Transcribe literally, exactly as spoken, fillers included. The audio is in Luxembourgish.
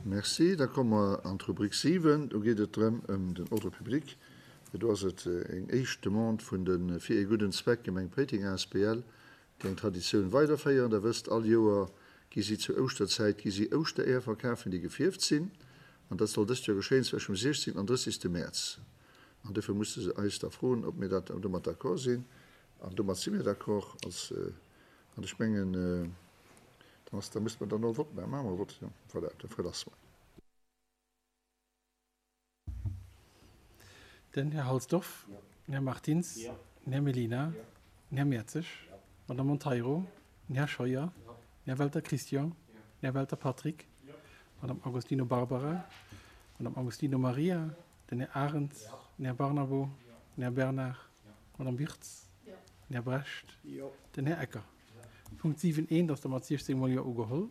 Merci. Da komme mer an d'Rubrik siwen. Do geet et drëm ëm den Ordre public. Do ass et eng éischt Demande vun de Fir ee gudden Zweck Gemeng Péiteng asbl, déi eng Traditioun weiderféieren. Der wësst, all Joer gi si zur Ouschterzäit gi si Ouschtereeër verkafen, déi gefierft sinn. An dat soll dëst Joer geschéien zwëschen dem siechzéngten an drëssigste Mäerz. An dofir musse se eis da froen, ob mir dat domat d'accord sinn. An domat si mir d'accord. Als, an ech mengen, dann ass, da muss mer dann och e Vott maachen. Maache mer e Vott, jo. Voilà, da verlasse mer. Den Här Halsdorf, den Här Martins, den Här Mellina, den Här Mertzig, d'Madame Monteiro, den Här Scheuer, den Här Welter Christian, den Här Welter Patrick, d'Madame Agostino Barbara, d'Madame Agostino Maria, den Här Arendt, den Här Barnabo, den Här Bernard, d'Madame Wirtz, den Här Brecht, den Här Ecker. Punkt siwen eent ass da mat siechzéng mol Jo ugeholl.